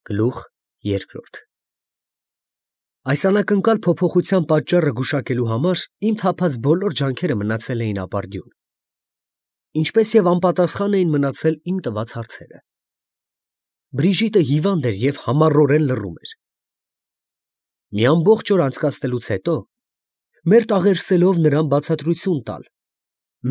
Գլուխ երկրորդ Այս անակնկալ փոփոխության պատճառը գուշակելու համար իմ թափած բոլոր ջանքերը մնացել էին ապարդյուն, ինչպես և անպատասխան էին մնացել իմ տված հարցերը։ Բրիժիտը հիվանդ էր և համառորեն լռում էր։ Մի ամբողջ օր անցկացնելուց հետո, մերթ աղերսելով նրան բացատրություն տալ,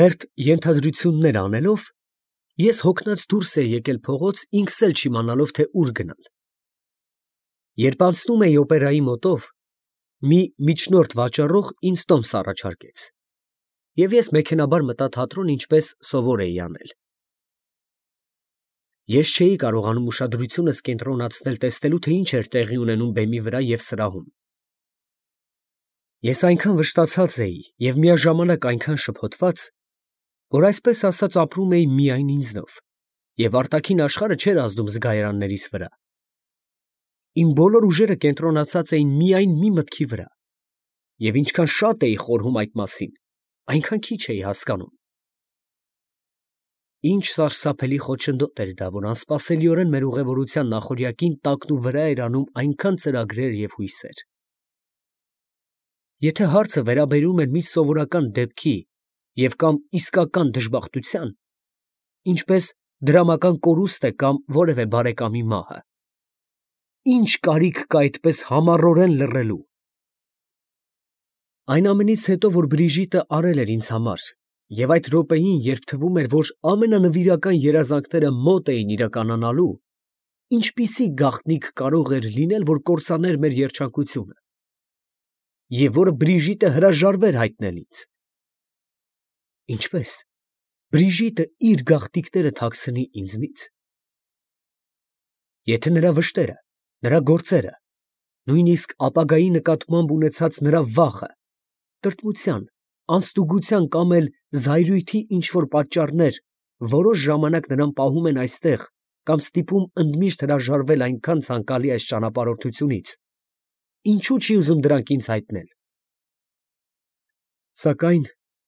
մերթ ենթադրություններ անելով, ես հոգնած դուրս էի եկել փողոց, ինքս էլ չիմանալով, թե ուր գնալ։ Երբ անցնում էի օպերայի մոտով, մի միջնորդ վաճառող ինձ տոմս առաջարկեց, և ես մեքենաբար մտա թատրոն, ինչպես սովոր էի անել։ Ես չէի կարողանում ուշադրությունս կենտրոնացնել տեսնելու, թե ինչ էր տեղի ունենում բեմի վրա և սրահում։ Ես այնքան վշտացած էի և միաժամանակ այնքան շփոթված, որ այսպես ասած ապրում էի միայն ինձնով, և արտաքին աշխարհը չէր ազդում զգայարաններիս վրա։ Իմ բոլոր ուժերը կենտրոնացած էին միայն մի մտքի վրա, և ինչքան շատ էի խորհում այդ մասին, այնքան քիչ էի հասկանում։ Ինչ սարսափելի խոչընդոտ էր դա, որ անսպասելիորեն մեր ուղևորության նախօրյակին տակնուվրա էր անում այնքան ծրագրեր և հույսեր։ Եթե հարցը վերաբերում էր մի սովորական դեպքի և կամ իսկական դժբախտության, ինչպես դրամական կորուստ է կամ որևէ բարեկամի մահը, ի՞նչ կարիք կա այդպես համառորեն լռելու։ Այն ամենից հետո, որ Բրիժիտը արել էր ինձ համար, և այդ րոպեին, երբ թվում էր, որ ամենանվիրական երազանքները մոտ էին իրականանալու, ինչպիսի գաղտնիք կարող էր լինել, որ կործաներ մեր երջանկությունը, և որը Բրիժիտը հրաժարվեր հայտնել ինձ։ Ինչպե՞ս Բրիժիտը իր գաղտնիքները թաքցնի ինձնից։ Եթե նրա վշտերը, նրա գործերը, նույնիսկ ապագայի նկատմամբ ունեցած նրա վախը, տրտմության, անստուգության կամ էլ զայրույթի ինչ֊որ պատճառներ որոշ ժամանակ նրան պահում են այստեղ կամ ստիպում ընդմիշտ հրաժարվել այնքան ցանկալի այս ճանապարհորդությունից, ինչո՞ւ չի ուզում դրանք ինձ հայտնել։ Սակայն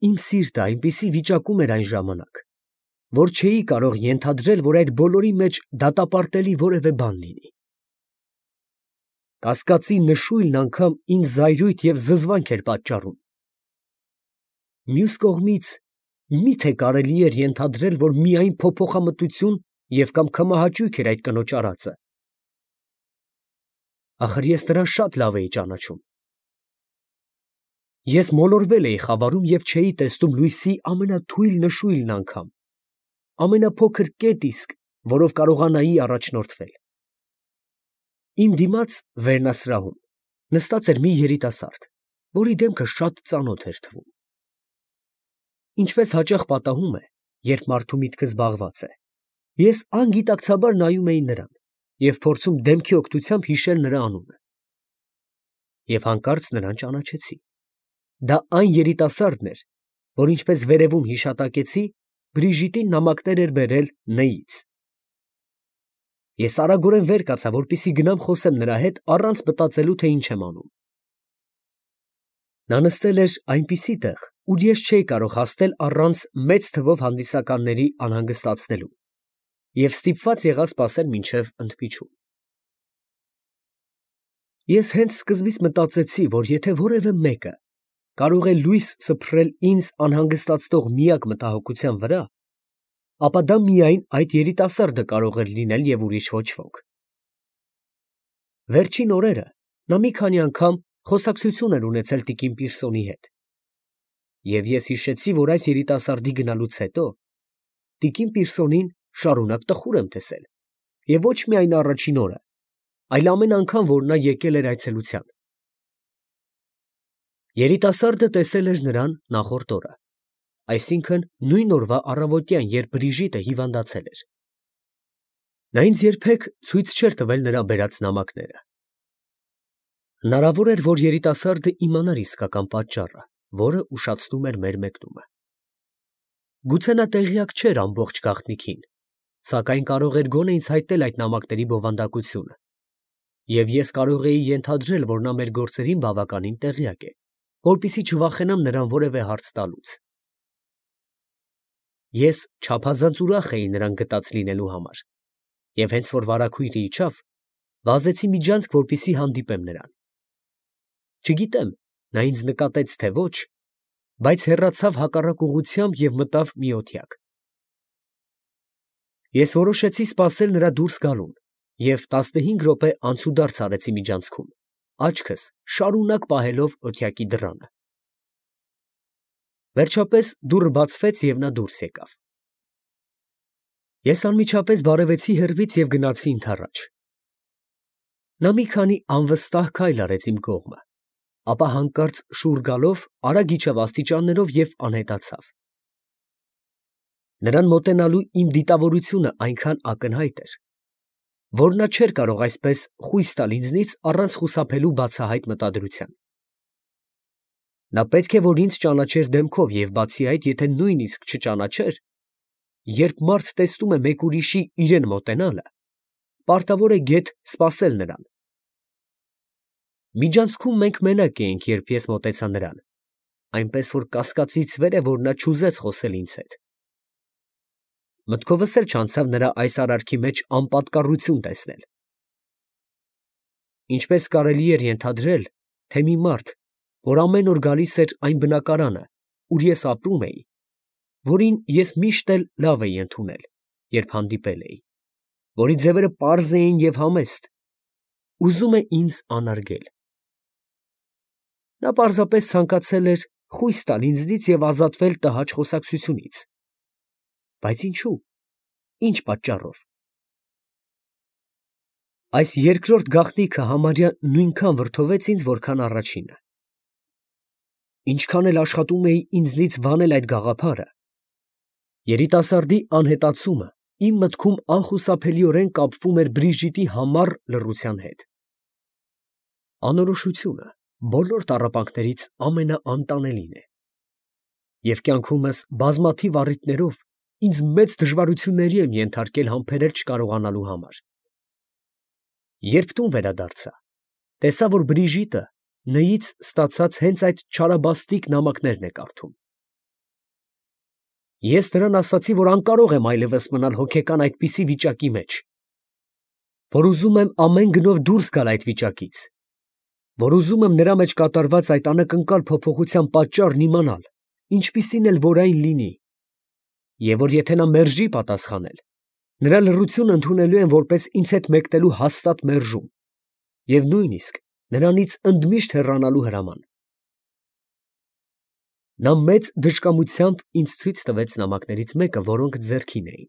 իմ սիրտը այնպիսի վիճակում էր այն ժամանակ, որ չէի կարող ենթադրել, որ այդ բոլորի մեջ դատապարտելի որևէ բան լինի։ Կասկածի նշույլն անգամ ինձ զայրույթ և զզվանք էր պատճառում։ Մյուս կողմից, մի՞թե կարելի էր ենթադրել, որ միայն փոփոխամտություն և կամ քմահաճույք էր այդ կնոջ արածը։ Ախր ես նրան շատ լավ էի ճանաչում։ Ես մոլորվել էի խավարում և չէի տեսնում լույսի ամենաթույլ նշույլն անգամ, ամենափոքր կետ իսկ, որով կարողանայի առաջնորդվել։ Իմ դիմաց վերնասրահում նստած էր մի երիտասարդ, որի դեմքը շատ ծանոթ էր թվում։ Ինչպես հաճախ պատահում է, երբ մարդու միտքը զբաղված է, ես անգիտակցաբար նայում էի նրան և փորձում դեմքի օգնությամբ հիշել նրա անունը։ Եվ հանկարծ նրան ճանաչեցի։ Դա այն երիտասարդն էր, որ ինչպես վերևում հիշատակեցի, Բրիժիտին նամակներ էր բերել Ն֊ից։ Ես արագորեն վեր կացա, որպեսզի գնամ խոսեմ նրա հետ, առանց մտածելու, թե ինչ եմ անում։ Նա նստել էր այնպիսի տեղ, ուր ես չէի կարող հասնել առանց մեծ թվով հանդիսականների անհանգստացնելու, և ստիպված եղա սպասել մինչև ընդմիջում։ Ես հենց սկզբից մտածեցի, որ եթե որևէ մեկը կարող է լույս սփռել ինձ անհանգստացնող միակ մտահոգության վրա, ապա դա միայն այդ երիտասարդը կարող էր լինել և ուրիշ ոչ ոք։ Վերջին օրերը նա մի քանի անգամ խոսակցություն էր ունեցել տիկին Պիրսոնի հետ, և ես հիշեցի, որ այս երիտասարդի գնալուց հետո տիկին Պիրսոնին շարունակ տխուր եմ տեսել, և ոչ միայն առաջին օրը, այլ ամեն անգամ, որ նա եկել էր այցելության։ Երիտասարդը տեսել էր նրան նախորդ օրը, այսինքն նույն օրվա առավոտյան, երբ Բրիժիտը հիվանդացել էր։ Նա ինձ երբեք ցույց չէր տվել նրա բերած նամակները։ Հնարավոր էր, որ երիտասարդը իմանար իսկական պատճառը, որը ուշացնում էր մեր մեկնումը։ Գուցե նա տեղյակ չէր ամբողջ գաղտնիքին, սակայն կարող էր գոնե ինձ հայտնել այդ նամակների բովանդակությունը, և ես կարող էի ենթադրել, որ նա մեր գործերին բավականին տեղյակ է, որպեսզի չվախենամ նրան որևէ հարց տալուց։ Ես չափազանց ուրախ էի նրան գտած լինելու համար, և հենց որ վարագույրը իջավ, Վազեցի միջանցք, որպեսզի հանդիպեմ նրան։ Չգիտեմ, նա ինձ նկատեց, թե ոչ, բայց հեռացավ հակառակ ուղղությամբ և մտավ մի օթյակ։ Ես որոշեցի սպասել նրա դուրս գալուն և 15 րոպե անցուդարձ արեցի միջանցքում, աչքս շարունակ պահելով օթյակի դռանը։ Վերջապես դուռը բացվեց և նա դուրս եկավ։ Ես անմիջապես բարևեցի հեռվից և գնացի ընդառաջ։ Նա մի քանի անվստահ քայլ արեց իմ կողմը, ապա հանկարծ շուռ գալով արագ իջավ աստիճաններով և անհետացավ։ Նրան մոտենալու իմ դիտավորությունը այնքան ակնհայտ էր, որ նա չէր կարող այսպես խույս տալ ինձնից առանց խուսափելու բացահայտ մտադրության։ Նա պետք է որ ինձ ճանաչեր դեմքով և բացի այդ, եթե նույնիսկ չճանաչեր, երբ մարդ տեսնում է մեկ ուրիշի իրան մոտենալը, պարտավոր է գեթ սպասել նրան։ Միջանցքում մենք մենակ էինք, երբ ես մոտեցա նրան, այնպես որ կասկածից վեր է, որ նա չուզեց խոսել ինձ հետ։ Մտքովս էլ չանցավ նրա այս արարքի մեջ անպատկառություն տեսնել։ Ինչպես կարելի էր ենթադրել, թե մի մարդ, որ ամեն օր գալիս էր այն բնակարանը, ուր ես ապրում էի, որին ես միշտ էլ լավ էի ընդունել, երբ հանդիպել էի, որի ձևերը պարզ էին և համեստ, ուզում է ինձ անարգել։ Նա պարզապես ցանկացել էր խույս տալ ինձնից և ազատվել տհաճ խոսակցությունից։ Բայց ինչո՞ւ, ի՞նչ պատճառով։ Այս երկրորդ գաղտնիքը համարյա նույնքան վրդովեց ինձ, որքան առաջինը։ Ինչքան էլ աշխատում էի ինձնից վանել այդ գաղափարը, երիտասարդի անհետացումը իմ մտքում անխուսափելիորեն կապվում էր Բրիժիտի համառ լռության հետ։ Անորոշությունը բոլոր տառապանքներից ամենաանտանելին է, և կյանքումս բազմաթիվ առիթներով ինձ մեծ դժվարությունների եմ ենթարկել համբերել չկարողանալու համար։ Երբ տուն վերադարձա, տեսա, որ Բրիժիտը նյից ստացած հենց այդ չարաբաստիկ նամակներն է կարդում։ Ես նրան ասացի, որ անկարող եմ այլևս մնալ հոգեկան այդպիսի վիճակի մեջ, որ ուզում եմ ամեն գնով դուրս գալ այդ վիճակից, որ ուզում եմ նրա մեջ կատարված այդ անակնկալ փոփոխության պատճառն իմանալ, ինչպիսին էլ որ այն լինի, և որ եթե նա մերժի պատասխանել, նրա լռությունը ընդունելու եմ որպես ինձ հետ մեկնելու հաստատ մերժում և նույնիսկ նրանից ընդմիշտ հեռանալու հրաման։ Նա մեծ դժկամությամբ ինձ ցույց տվեց նամակներից մեկը, որոնք ձեռքին էին։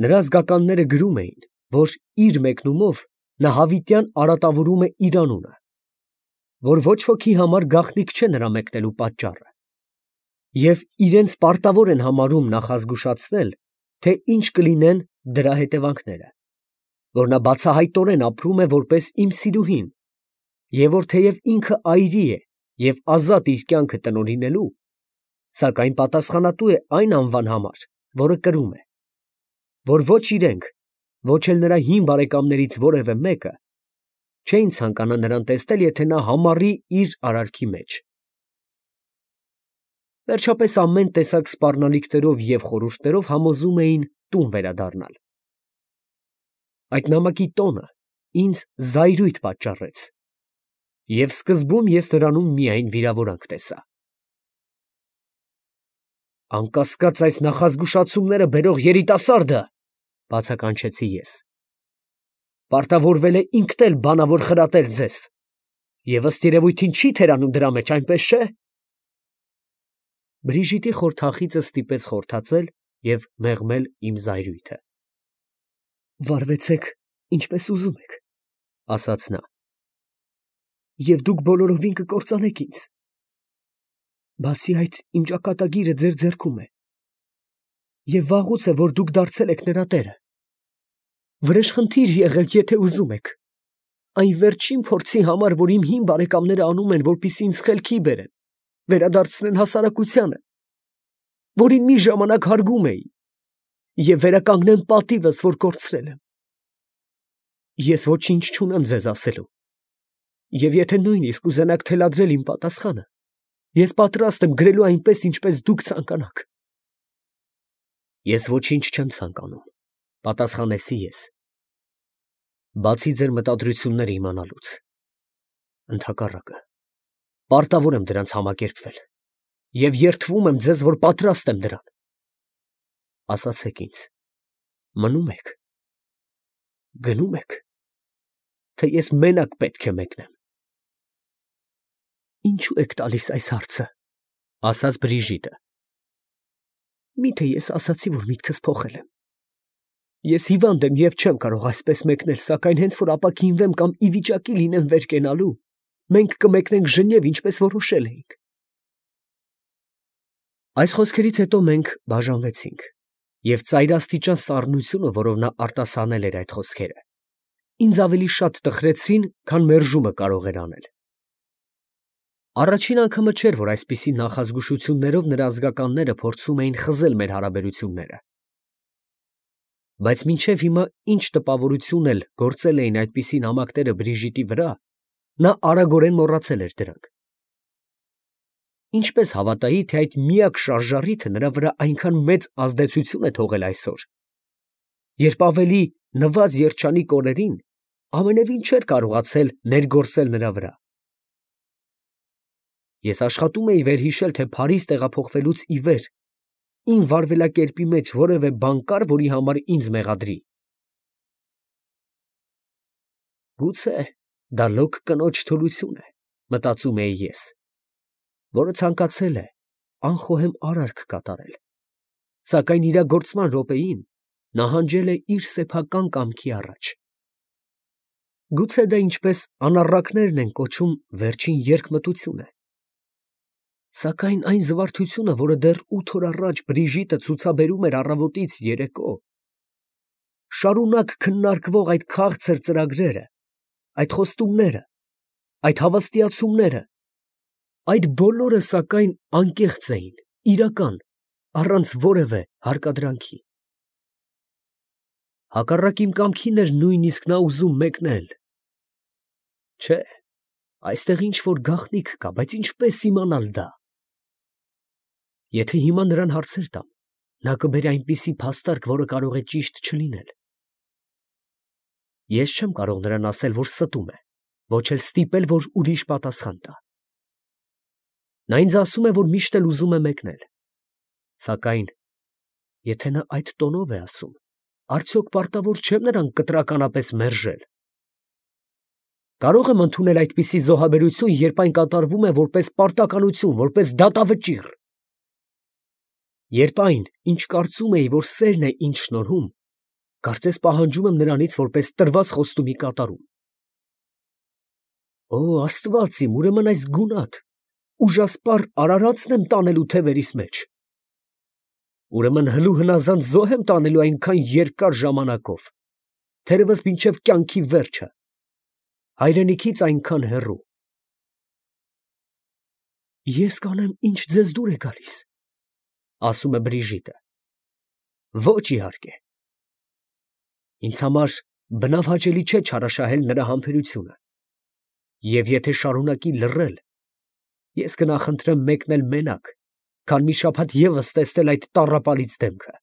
Նրա զգականները գրում էին, որ իր մեկնումով նա հավիտյան արատավորում է իր անունը, որ ոչ ոքի համար գաղտնիք չէ նրա մեկնելու պատճառը, և իրենց պարտավոր են համարում նախազգուշացնել, թե ինչ կլինեն դրա հետևանքները, որ նա բացահայտորեն ապրում է որպես իմ սիրուհին, և որ թեև ինքը այրի է և ազատ իր կյանքը տնօրինելու, սակայն պատասխանատու է այն անվան համար, որը կրում է, որ ոչ իրենք, ոչ էլ նրա հին բարեկամներից որևէ մեկը չէին ցանկանա նրան տեսնել, եթե նա համառի իր արարքի մեջ։ Վերջապես ամեն տեսակ սպառնալիքներով և խորհուրդներով համոզում էին տուն վերադառնալ։ Այդ նամակի տոնը ինձ զայրույթ պատճառեց, և սկզբում ես նրանում միայն վիրավորանք տեսա։ «Անկասկած, այս նախազգուշացումները բերող երիտասարդը, ֊ բացականչեցի ես, ֊ պարտավորվել է ինքն էլ բանավոր խրատել ձեզ և ըստ երևույթին չի թերանում դրա մեջ, այնպես չէ՞»։ Բրիժիտի խորթախիծը ստիպեց խորթացել և մեղմել իմ զայրույթը։ «Վարվեցեք, ինչպես ուզում եք, ֊ ասաց նա, ֊ և դուք բոլորովին կկործանեք ինձ։ Բացի այդ, իմ ճակատագիրը ձեր ձեռքում է, և վաղուց է, որ դուք դարձել եք նրա տերը։ Վրեժխնդիր եղեք, եթե ուզում եք, այն վերջին փորձի համար, որ իմ հին բարեկամները անում են, որպեսզի ինձ խելքի բերեն, վերադարձնեն հասարակությանը, որին մի ժամանակ հարգում էի, և վերականգնեն պատիվս, որ կորցրել եմ։ Ես ոչինչ չունեմ ձեզ ասելու, և եթե նույնիսկ ուզենաք թելադրել իմ պատասխանը, ես պատրաստ եմ գրելու այնպես, ինչպես դուք ցանկանաք»։ «Ես ոչինչ չեմ ցանկանում, ֊ պատասխանեցի ես, Բացի ձեր մտադրությունները իմանալուց։ Ընդհակառակը, պարտավոր եմ դրանց համակերպվել և երդվում եմ ձեզ, որ պատրաստ եմ դրան։ Ասացեք ինձ, մնո՞ւմ եք, գնո՞ւմ եք, թե ես մենակ պետք է մեկնեմ։ Ինչո՞ւ եք տալիս այս հարցը, ասաց Բրիժիտը։ Միթե ես ասացի, որ միտքս փոխել եմ։ Ես հիվանդ եմ և չեմ կարող այսպես մեկնել, սակայն հենց որ ապաքինվեմ կամ ի վիճակի լինեմ վեր կենալու, մենք կմեկնենք Ժնև, ինչպես որոշել էինք։ Այս խոսքերից հետո մենք բաժանվեցինք, և ծայրաստիճան սառնությունը, որով նա արտասանել էր այդ խոսքերը, ինձ ավելի շատ տխրեցրին, քան մերժումը կարող էր անել։ Առաջին անգամը չէր, որ այսպիսի նախազգուշություններով նրա ազգականները փորձում էին խզել մեր հարաբերությունները։ Բայց մինչև հիմա ինչ տպավորություն էլ գործել էին այդպիսի նամակները Բրիժիտի վրա, նա արագորեն մոռացել էր դրանք։ Ինչպես հավատայի, թե այդ միակ շարժառիթը նրա վրա այնքան մեծ ազդեցություն է թողել այսօր, երբ ավելի նվազ երջանիկ օրերին ամենևին չէր կարողացել ներգործել նրա վրա։ Ես աշխատում էի վերհիշել, թե Փարիզ տեղափոխվելուց ի վեր իմ վարվելակերպի մեջ որևէ բան կար, որի համար ինձ մեղադրի։ Գուցե դա լոկ կնոջ թուլություն է, մտածում էի ես, որը ցանկացել է անխոհեմ արարք կատարել, սակայն իրագործման րոպեին նահանջել է իր սեփական կամքի առաջ։ Գուցե դա ինչպես անառակներն են կոչում վերջին երկմտություն է։ Սակայն այն զվարթությունը, որը դեռ 8 օր առաջ Բրիժիտը ցուցաբերում էր առավոտից երեկո, շարունակ քննարկվող այդ քաղցր ծրագրերը, այդ խոստումները, այդ հավաստիացումները, այդ բոլորը սակայն անկեղծ էին, իրական, առանց որևէ հարկադրանքի։ Հակառակ իմ կամքին էր նույնիսկ նա ուզում մեկնել։ Չէ, այստեղ ինչ-որ գաղտնիք կա, բայց ինչպես իմանալ դա։ Եթե հիմա նրան հարցեր տամ, նա կբերի այնպիսի փաստարկ, որը կարող է ճիշտ չլինել։ Ես չեմ կարող նրան ասել, որ ստում է, ոչ էլ ստիպել, որ ուրիշ պատասխան տա։ Նա ինձ ասում է, որ միշտ էլ ուզում է մեկնել։ Սակայն, եթե նա այդ տոնով է ասում, արդյոք պարտավոր չեմ նրան կտրականապես մերժել։ Կարո՞ղ եմ ընդունել այդպիսի զոհաբերություն, երբ այն կատարվում է որպես պարտականություն, որպես դատավճիռ։ Երբ այն, ինչ կարծում էի, որ սերն է ինձ շնորհում, կարծես պահանջում եմ նրանից որպես տրված խոստումի կատարում։ Օ, Աստված իմ, ուրեմն այս գունատ, ուժասպառ արարածն եմ տանելու թևերիս մեջ։ Ուրեմն հլու հնազանդ զոհ եմ տանելու այնքան երկար ժամանակով, թերևս մինչև կյանքի վերջը, հայրենիքից այնքան հեռու։ Ես կանեմ, ինչ ձեզ դուր է գալիս, ասում է Բրիժիտը։ Ոչ, իհարկե։ Ինձ համար բնավ հաճելի չէ չարաշահել նրա համբերությունը, և եթե շարունակի լռել, ես կնախընտրեմ մեկնել մենակ, քան մի շաբաթ ևս տեսնել այդ տառապալից դեմքը։